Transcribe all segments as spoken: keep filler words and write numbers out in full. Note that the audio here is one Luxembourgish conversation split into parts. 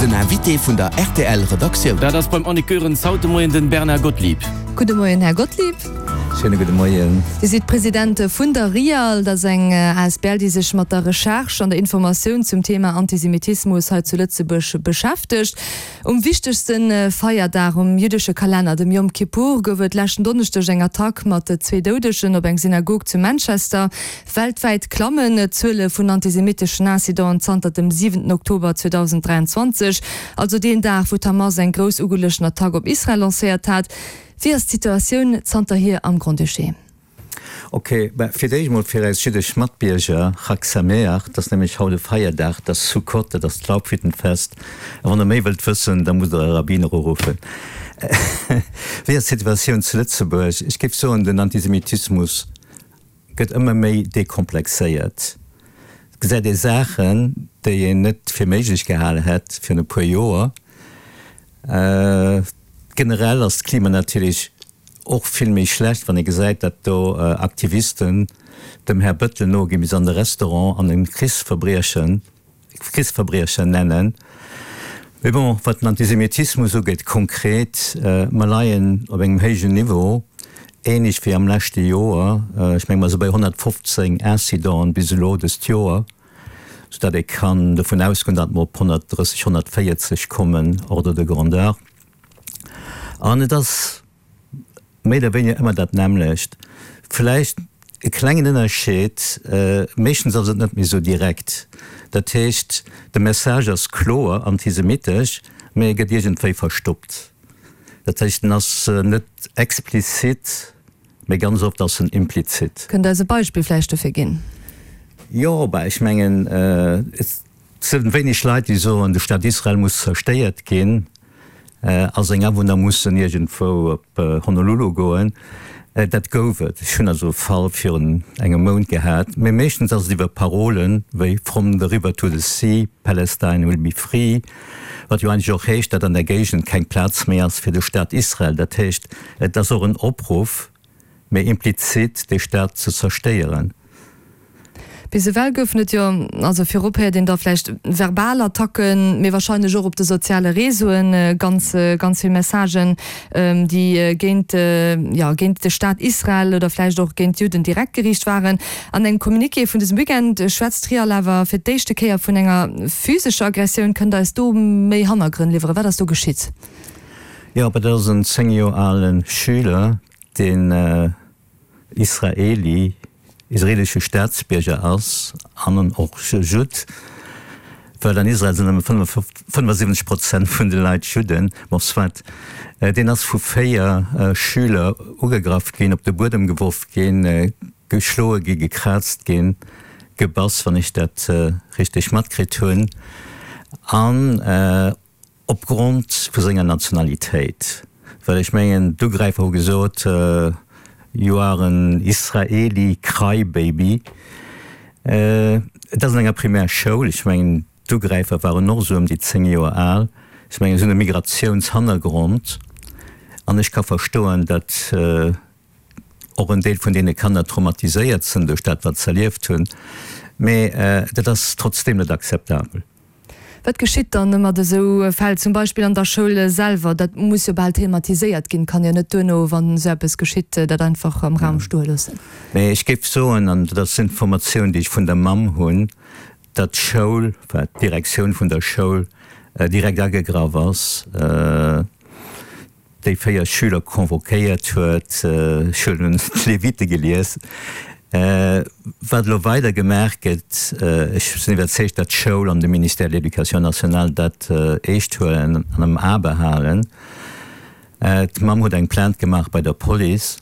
Den Invité vun der R T L Redaktioun. Dat ass beim Annick Goerens haut de Moien den Bernard Gottlieb. Gudde Moien, Här Gottlieb. Schéine gudde Moien. Dir sidd President vun der RIAL, dat ass eng A S B L, déi sech mat der Recherche an der Informatioun zum Thema Antisemitismus hei zu Lëtzebuerg beschäftegt. Um wichtegste Feierdag um jüddesche Kalenner, dem Yom Kippur, gouf et leschten Donneschdeg eng Attack mat zwee Doudegen op eng Synagog zu Manchester. Weltwäit klammen d'Zuele vun antisemiteschen Incidenten zanter dem siwenten Oktober zweedausenddräianzwanzeg, also deen Dag, wou d'Hamas eng grouss ugeluechten Attack op Israel lancéiert hat. Wéi ass d'Situatioun zanterhier am Grand-Duché? Ok, fir d'éischt mol fir eis jüddesch Matbierger, Chag Sameach, dat ass nämlech haut e Feierdag, dat ass Sukkot, dat ass d'Laubhüttenfest. A wann der méi wëllt wëssen, da musst der e Rabbiner uruffen. Wéi ass d'Situatioun zu Lëtzebuerg? Ech géif soen, den Antisemitismus gëtt ëmmer méi dekomplexéiert. Et gesäit ee Saachen, déi een net fir méiglech gehale hätt virun e puer Joer. Generell ass d'Klima natierlech och vill méi schlecht, wann ee gesäit, datt do Aktivisten dem Här Bëttel noginn bis an de Restaurant an en Krichsverbriechen Krichsverbriecher nennen. Mee bon, wat den Antisemitismus ugeet konkret, mer leien op engem héijen Niveau, ähnlech wéi am leschte Joer. Ech menge mer si bei honnertfofzéng Incidenten bis elo dëst Joer, soudatt ee kann dovun ausgoen, datt mer op honnertdrësseg, honnertvéierzeg kommen, Ordre de grandeur. An et ass méi oder wéiniger ëmmer dat nämmlecht. Vläicht e klengen Ënnerscheed, meeschtens ass et net méi esou direkt. Dat heescht, de Message ass kloer antisemitesch, mee e gëtt iergendwéi verstoppt. Dat heescht, en ass net explizit, mee ganz oft ass en implizit. Kënnt Der eis e Beispill vläicht dofir ginn? Jo, bah, ech mengen, et sinn wéineg Leit, déi soen, de Staat Israel muss zerstéiert ginn a seng Awunner mussen iergendwou op Honolulu goen. Dat gouf et. Ech hunn also e Fall virun engem Mount gehat. Mee meeschtens ass et iwwer Parolen wéi From the river to the sea, Palestine will be free, wat jo eigentlech och heescht, datt an der Géigend keng Plaz méi ass fir de Staat Israel. Dat heescht, et ass och en Opruff, mee implizit, dee Staat ze zerstéieren. Bis ewell goufen et jo, also virop héiert een da vläicht verbal Attacken, mee warscheinlech och op de soziale Réseauen ganz, ganz vill Messagen, déi géint, jo, géint de Staat Israel oder vläicht och géint d'Judden direkt geriicht waren. An engem Communiqué vun dësem Weekend schwätzt d'RIAL awer fir d'éischte Kéier vun enger physescher Aggressioun. Kënnt Der eis do méi Hannergrënn liwweren? Wat ass do geschitt? Jo, dat ass en zéng Joer ale Schüler, deen Israeli, israelesche Staatsbierger ass an och Judd, well an Israel sinn nëmme fënnefasiwwenzeg Prozent vun de Leit Judden, bon soit, deen ass vu véier Schüler ugegraff ginn, op de Buedem geworf ginn, geschloe ginn, gekraazt ginn, gebass, wann ech dat richteg matkritt hunn, an opgrond vu senger Nationalitéit, well ech mengen d'Ugräifer hu gesot, You are an Israeli crybaby. Et ass an enger Primärschoul, ech mengen d'Ugräifer waren och esou ëm déi zéng Joer al, ech mengen se hunn e Migratiounshannergrond an ech ka verstoen, datt och en Deel vun deene Kanner traumatiséiert sinn duerch dat wat se erlieft hunn, mee dat ass trotzdeem net akzeptabel. Wat geschitt dann mat esou Fäll, zum Beispill an der Schoul selwer? Dat muss jo bal thematiséiert ginn, kann jo net duerno, wann esou eppes geschitt, dat einfach am Raum stoe loossen. Nee, ech géif soen, an dat ass Informatioun, déi ech vun der Mamm hunn, datt d'Schoul, enfin d'Direktioun vun der Schoul direkt agegraff ass, déi véier Schüler convoquéiert huet, ech hunn d'Levite gelies, wat elo weider gemaach gëtt, ech sinn iwwerzeegt, datt d'Schoul an de Ministère de l'Éducation nationale dat eescht huelen an am A behalen. D'Mamm huet eng Plainte gemaach bei der Police.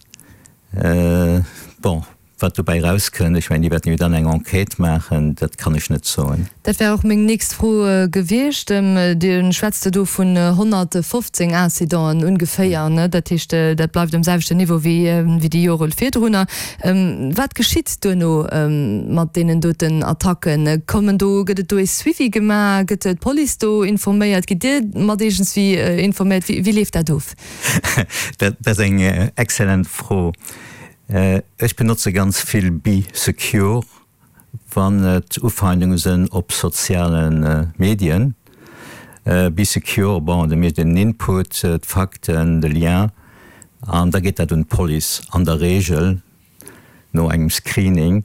Bon, wat dobäi erauskënnt, ech mengen, déi wäerten jo dann eng Enquête maachen, dat kann ech net soen. Dat wär och meng nächst Fro gewiescht. Dir schwätzt do vun honnertfofzéng Incidenten ungeféier, ne? Dat heescht, dat bleift um selwechten Niveau wéi déi Jore virdrunner. Wat geschitt duerno mat deenen doten Attacken? Kommen do, gëtt et do ee Suivi gemaach? Gëtt d'Police do informéiert? Gitt Dir mat iergendswéi informéiert? Wéi leeft dat of? Dat ass eng exzellent Fro. Ech benotze ganz vill Bee Secure, wann et Ufeindunge sinn op soziale Medien. Bee Secure, bon, da mécht een den Input, d'Fakten, de Lien, an da geet dat un d'Police, an der Reegel no engem Screening.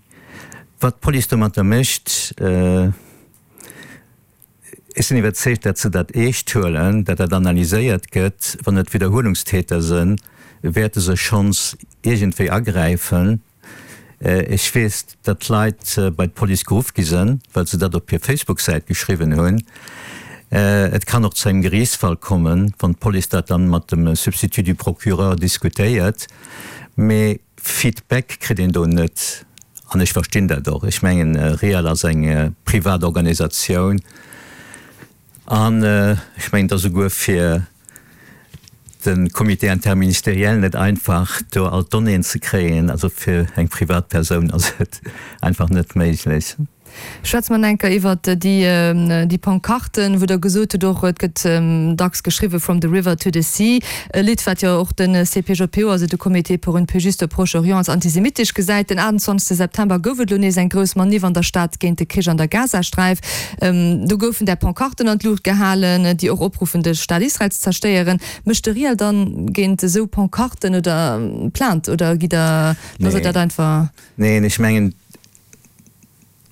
Wat d'Police domatter mécht, ech sinn iwwerzeegt, datt se dat eescht huelen, datt dat analyséiert gëtt. Wann et Widderhuelungstäter sinn, wäerte se schonns iergendwéi agräifen. Ech weess, datt Leit bei d'Police geruff gi sinn, well se dat op hir Facebook-Säit geschriwwen hunn. Et kann och zu engem Geriichtsfall kommen, wann d'Police dat dann mat dem Substitut du procureur diskutéiert. Mee Feedback kritt een do net. An ech verstinn dat och. Ech mengen, REAL ass eng privat Organisatioun. An ech mengen, et ass esouguer fir de Comité interministériel net einfach, do all d'Donnéeën ze kréien. Also fir eng Privatpersoun ass et einfach net méiglech. Schwätze mer nach eng Kéier iwwert déi Pancarten, wou Der gesot hutt och, et gëtt dacks geschriwwe From the river to the sea, e Lidd, wat jo och de C P J P O, also de Comité pour une plus juste Proche-Orient, als antisemitesch gesäit. Den achtundzwanzegste September gouf et elo nees eng grouss Maniff an der Stad géint de Krich an der Gazasträif. Do goufen där Pancarten an d'Luucht gehalen, déi och opruffen, de Staat Israel ze zerstéieren. Mécht de RIAL dann géint esou Pancarten oder Plainte oder gitt Der, loosst Der dat einfach? Neen, ech mengen,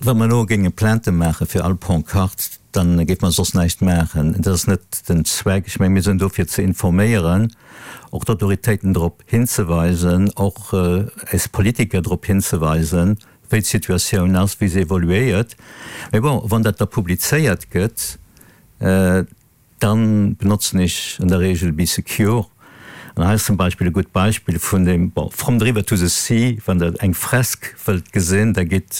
wa mer elo géinge Plainte maache fir all Pancarte, da géife mer soss näischt maachen. Dat ass net den Zweck. Ech menge mir sinn do fir ze informéieren, och d'Autoritéiten drop hinzeweisen, och eis Politiker drop hinzeweisen, wéi d'Situatioun ass, wéi se evoluéiert. Mee bon, wann dat da publizéiert gëtt, dann benotzen ech an der Regel Bee Secure. An hei ass zum Beispill e gutt Beispill vun dem, bon, From the River to the Sea, wann Der eng Fresk wëllt gesinn, da gitt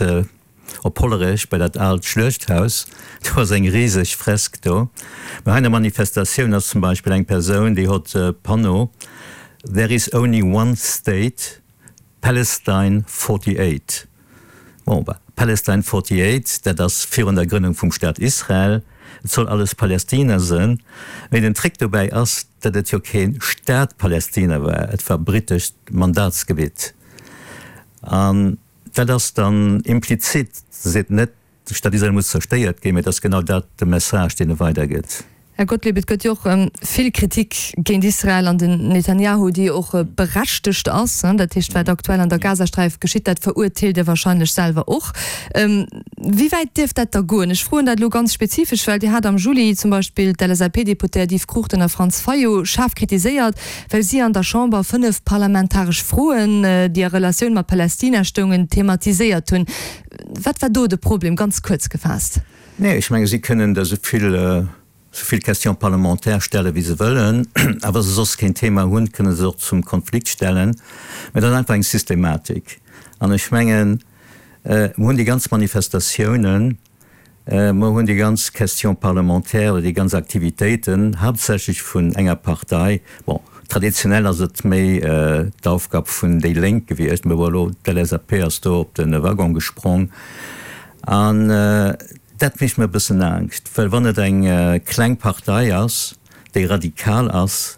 op Hollerech bei dat aalt Schluechthaus, do ass eng riseg Fresk do. Mä hei an der Manifestatioun ass zum Beispill eng Persoun, déi hott e Panneau, There is only one state, Palestine forty-eight. Bon, bah, Palestine forty-eight, dat ass virun der Grënnung vum Staat Israel, et soll alles Palästina sënn. Mee den Trick dobäi ass, datt et jo kee Staat Palästina war, et war britescht Mandatsgebitt. An dat ass dann implizit, se seet net, de Staat Israel muss zerstéiert ginn, mee et ass genau dat de Message, deen e weidergëtt. Här Gottlieb, et gëtt jo och vill Kritik géint Israel an den Netanjahu, déi och berechtegt ass. Dat heescht, wat aktuell an der Gazasträif geschitt, dat verurteelt Dir wahrscheinlech selwer och. Wéi wäit dierf dat da goen? Ech froen dat elo ganz spezifesch, well Dir hat am Juli zum Beispill d'L S A P-Deputéiert Yves Cruchten a Franz Fayot schaarf kritiséiert, well si an der Chamber fënnef parlamentaresch Froen, déi a Relatioun mat Palästina stoungen, thematiséiert hunn. Wat war do de Problem, ganz kuerz gefaasst? Nee, ech menge si kënnen der esou vill, esou vill Questions parlementaires stelle wéi se wëllen, a wa se soss keen Thema hunn, kënne se och zum Konflikt stellen. Mä dat ass einfach eng Systematik. An ech mengen, mer hunn déi ganz Manifestatiounen, mer hunn déi ganz Questions parlementaires oder déi ganz Aktivitéiten haaptsächlech vun enger Partei, bon, traditionell ass et méi d'Aufgab vun déi Lénk gewiescht, mä bon, elo d'L S A P ass do op de Waggon gesprong. An dat mécht mer e bëssen Angscht, well wann et eng kleng Partei ass, déi radikal ass,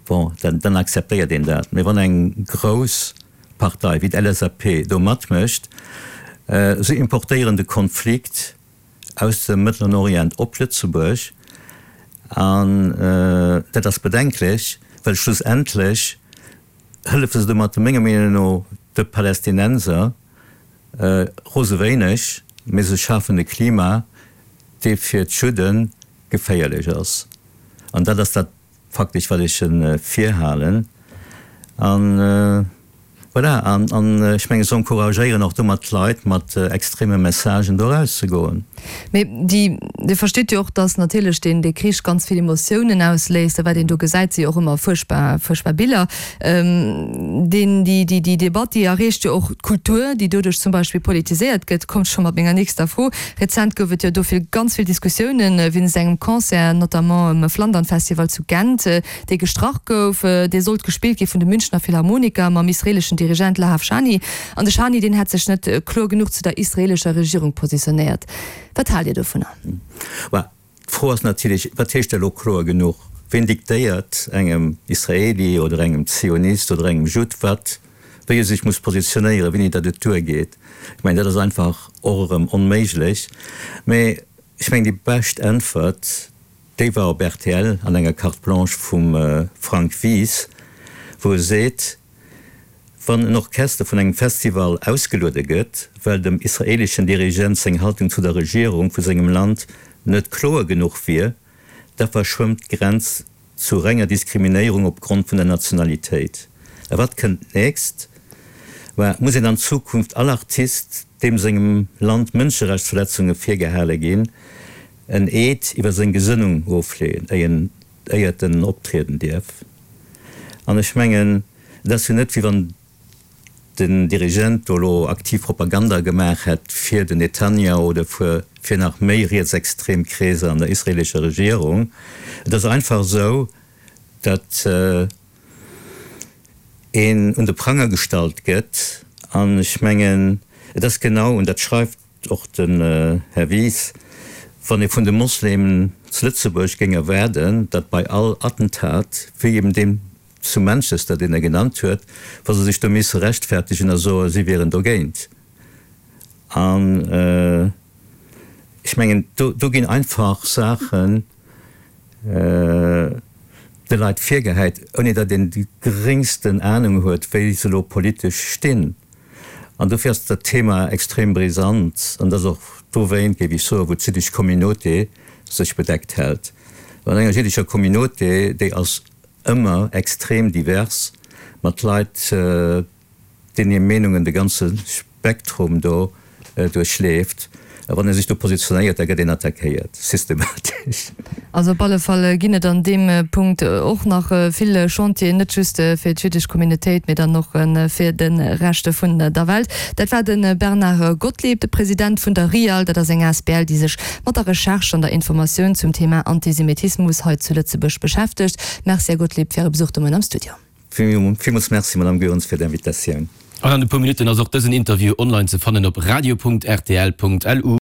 bon, dann, dann akzeptéiert een dat. Mä wann eng grouss Partei wéi d'L S A P do matmécht, se importéieren de Konflikt aus dem Mëttleren Orient op Lëtzebuerg, an dat ass bedenklech, well schlussendlech hëllefe se domat menger Meenung no de Palästinenser rose wéineg, mee se schafen e Klima, dee fir d'Judde geféierlech ass. An dat ass dat faktesch, wat ech virhalen. An voilà, an ech menge se encouragéieren och domat d'Leit, mat extreme Messagen do erauszegoen. Mee déi, Dir verstitt jo och, datt natierlech deen, dee Krich ganz vill Emotiounen ausléist, a wat een do gesäit, si jo och ëmmer fuerchtbar, fuerchtbar Biller. Deen, déi, déi, déi Debatt, déi erreecht jo och d'Kultur, déi doduerch zum Beispill politiséiert gëtt. Kommt scho mat menger nächster Fro. Rezent gouf et jo do vill, ganz vill Diskussiounen wéinst engem Concert, notamment um Flandern-Festival zu Gent, dee gestrach gouf. Dee sollt gespillt gi vun de Münchner Philharmoniker mam israeleschen Dirigent Lahav Shani. An de Shani, deen hätt sech net kloer genuch zu der israelescher Regierung positionéiert. Wat haalt Dir dovunner? Bah, d'Fro ass natierlech, wat heescht elo kloer genuch? Wien diktéiert engem Israeli oder engem Zionist oder engem Judd, wat, wéi e sech muss positionéieren, wéini datt et duergeet? Ech mengen, dat ass einfach och erëm onméiglech. Mee ech mengen, déi bescht Äntwert, Déi war op rtl an enger Carte Blanche vum Frank Wies, wou e seet, Wann en Orchester vun engem Festival ausgeluede gëtt, well dem israeleschen Dirigent seng Haltung zu der Regierung vu sengem Land net kloer genuch wier, da verschwëmmt d'Grenz zu renger Diskriminéierung op Grond vun der Nationalitéit. A wat kënnt d'nächst? Mä muss een an Zukunft all Artist, deem sengem Land Mënscherechtsverletzunge virgehale ginn, en Eed iwwer seng Gesënnung ofleeën, éiert en optrieden dierf? An ech mengen, et ass jo net, wéi wann den Dirigent do elo aktiv Propaganda gemaach hätt fir den Netanjahu oder fir nach méi rietsextrem Kreeser an der israelescher Regierung. Et ass einfach esou, datt een un de Pranger gestallt gëtt. An ech mengen, et ass genau, an dat schreift och den Här Wies, wann ee vun de Moslemen zu Lëtzebuerg géing erwaarden, datt bei all Attentat, wéi eben deem zu Manchester, deen e genannt huet, wa se sech do misse rechtfertegen a soen, si wieren dogéint. An ech mengen, do ginn einfach Saachen de Leit virgehäit, ouni datt een déi geréngsten Anung huet, wéi se elo politesch stinn. An dofir ass dat Thema extrem brisant. An dat ass och dowéint, géif ech soen, wou d'jiddesch Communauté sech bedeckt hält. An enger jiddescher Communauté, déi ass ëmmer extrem divers, mat Leit, deenen hir Meenungen de ganze Spektrum do duerchleeft. A wann ee sech do positionéiert, da gëtt een attackéiert, systematesch. Also op alle Fall ginn et an deem Punkt och nach vill Chantieren, net just fir d'jüddesch Communautéit, mee dann och fir de Rescht vun der Welt. Dat war de Bernard Gottlieb, de President vun der RIAL. Dat ass eng asbl, déi sech mat der Recherche an der Informatioun zum Thema Antisemitismus hei zu Lëtzebuerg beschäftegt. Merci, Här Gottlieb, fir Äre Besuch de Moien am Studio. Villmools Merci, Madame Goerens, fir d'Invitatioun. An an e puer Minutten ass och dësen Interview online ze fannen op radio.rtl.lu.